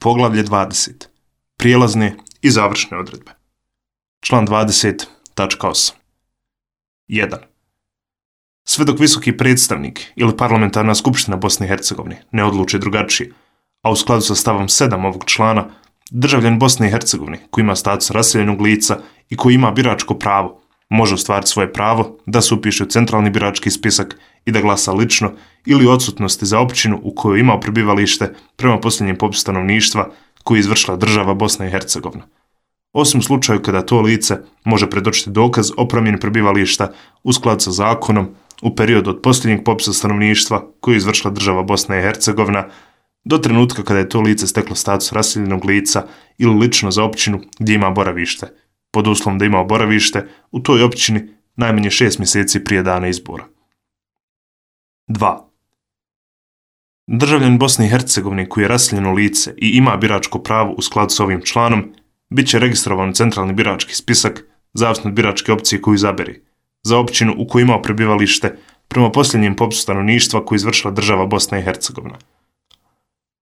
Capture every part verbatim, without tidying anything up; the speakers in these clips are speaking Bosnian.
Poglavlje dvadeset. Prijelazne i završne odredbe. Član dvadeset tačka osam. jedan. Sve dok visoki predstavnik ili parlamentarna skupština Bosne i Hercegovine ne odluči drugačije, a u skladu sa stavom sedam ovog člana, državljan Bosne i Hercegovine koji ima status raseljenog lica i koji ima biračko pravo, može ostvariti svoje pravo da se upiše u centralni birački spisak i da glasa lično ili u odsutnosti za općinu u kojoj ima prebivalište prema posljednjem popisu stanovništva koji je izvršila država Bosna i Hercegovina. Osim u slučaju kada to lice može predočiti dokaz o promjeni prebivališta u skladu sa zakonom u periodu od posljednjeg popisa stanovništva koji je izvršila država Bosna i Hercegovina do trenutka kada je to lice steklo status raseljenog lica ili lično za općinu gdje ima boravište, pod uslovom da ima boravište u toj općini najmanje šest mjeseci prije dana izbora. dva. Državljan Bosne i Hercegovine koji je raseljeno lice i ima biračko pravo u skladu s ovim članom, bit će registrovan u centralni birački spisak zavisno od biračke opcije koju izabere, za općinu u kojoj ima prebivalište prema posljednjem popisu stanovništva koji je izvršila država Bosna i Hercegovina.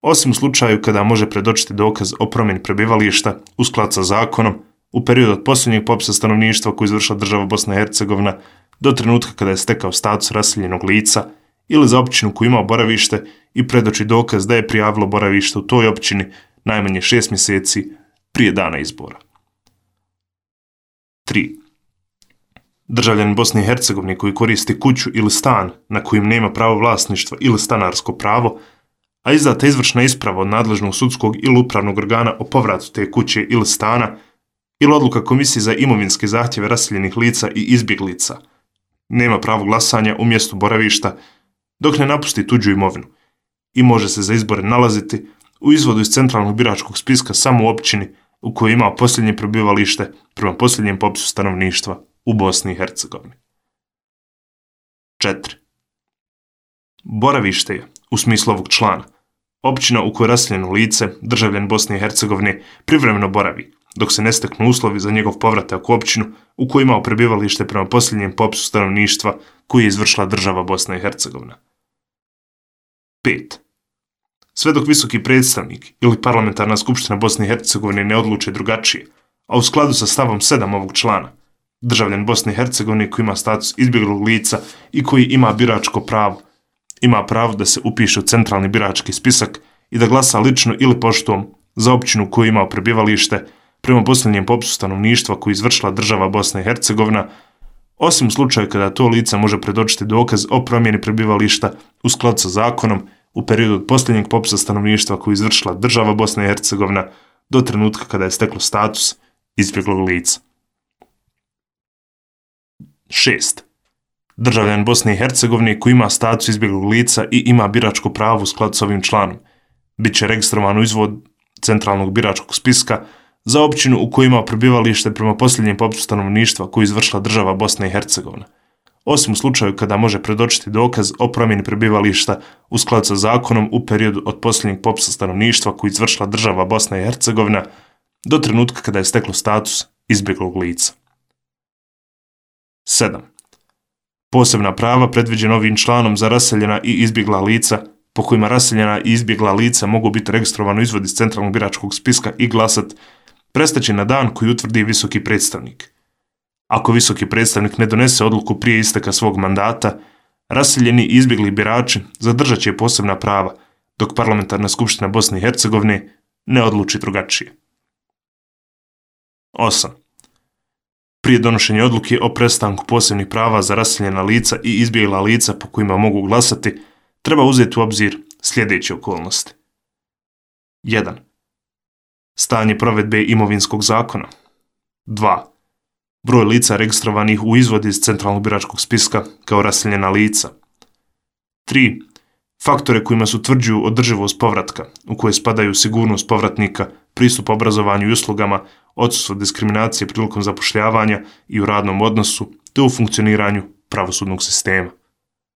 Osim u slučaju kada može predočiti dokaz o promjeni prebivališta u skladu sa zakonom u periodu od posljednjeg popisa stanovništva koji je izvršila država Bosna i Hercegovina do trenutka kada je stekao status raseljenog lica ili za općinu koju ima boravište i predoči dokaz da je prijavilo boravište u toj općini najmanje šest mjeseci prije dana izbora. tri. Državljan Bosne i Hercegovine koji koristi kuću ili stan na kojem nema pravo vlasništva ili stanarsko pravo, a izdata izvršna isprava od nadležnog sudskog ili upravnog organa o povratu te kuće ili stana ili odluka komisije za imovinske zahtjeve raseljenih lica i izbjeglica, nema pravo glasanja u mjestu boravišta dok ne napusti tuđu imovinu i može se za izbore nalaziti u izvodu iz centralnog biračkog spiska samo u općini u kojoj ima posljednje prebivalište prema posljednjem popisu stanovništva u Bosni i Hercegovini. četiri. Boravište je, u smislu ovog člana, općina u kojoj raseljeno lice, državljan Bosne i Hercegovine, privremeno boravi, dok se ne steknu uslovi za njegov povratak u općinu u kojoj ima prebivalište prema posljednjem popisu stanovništva koji je izvršila država Bosna i Hercegovina. pet. Sve dok visoki predstavnik ili parlamentarna skupština Bosne i Hercegovine ne odluče drugačije, a u skladu sa stavom sedam ovog člana, državljan Bosne i Hercegovine koji ima status izbjeglog lica i koji ima biračko pravo, ima pravo da se upiše u centralni birački spisak i da glasa lično ili poštom za općinu koju ima prebivalište prema posljednjem popisu stanovništva koji je izvršila država Bosna i Hercegovina, osim u slučaju kada to lice može predočiti dokaz o promjeni prebivališta u skladu sa zakonom u periodu od posljednjeg popisa stanovništva koji je izvršila država Bosna i Hercegovina do trenutka kada je steklo status izbjeglog lica. šest. Državljan Bosne i Hercegovine koji ima status izbjeglog lica i ima biračko pravo u skladu s ovim članom, bit će registrovan u izvod centralnog biračkog spiska za općinu u kojoj ima prebivalište prema posljednjem popisu stanovništva koji je izvršila država Bosna i Hercegovina, osim u slučaju kada može predočiti dokaz o promjeni prebivališta u skladu sa zakonom u periodu od posljednjeg popisa stanovništva koji je izvršila država Bosna i Hercegovina do trenutka kada je steklo status izbjeglog lica. sedam. Posebna prava predviđena ovim članom za raseljena i izbjegla lica, po kojima raseljena i izbjegla lica mogu biti registrovano izvod iz centralnog biračkog spiska i glasat, prestaće na dan koji utvrdi visoki predstavnik. Ako visoki predstavnik ne donese odluku prije isteka svog mandata, raseljeni i izbjegli birači zadržat će posebna prava, dok parlamentarna skupština Bosne i Hercegovine ne odluči drugačije. osam. Prije donošenja odluke o prestanku posebnih prava za raseljena lica i izbjegla lica po kojima mogu glasati, treba uzeti u obzir sljedeće okolnosti. jedan. Stanje provedbe imovinskog zakona. dva. Broj lica registrovanih u izvodi iz centralnog biračkog spiska kao raseljena lica. tri. Faktore kojima se utvrđuju održivost povratka, u koje spadaju sigurnost povratnika, pristup obrazovanju i uslugama, odsustvo diskriminacije prilikom zapošljavanja i u radnom odnosu, te u funkcioniranju pravosudnog sistema.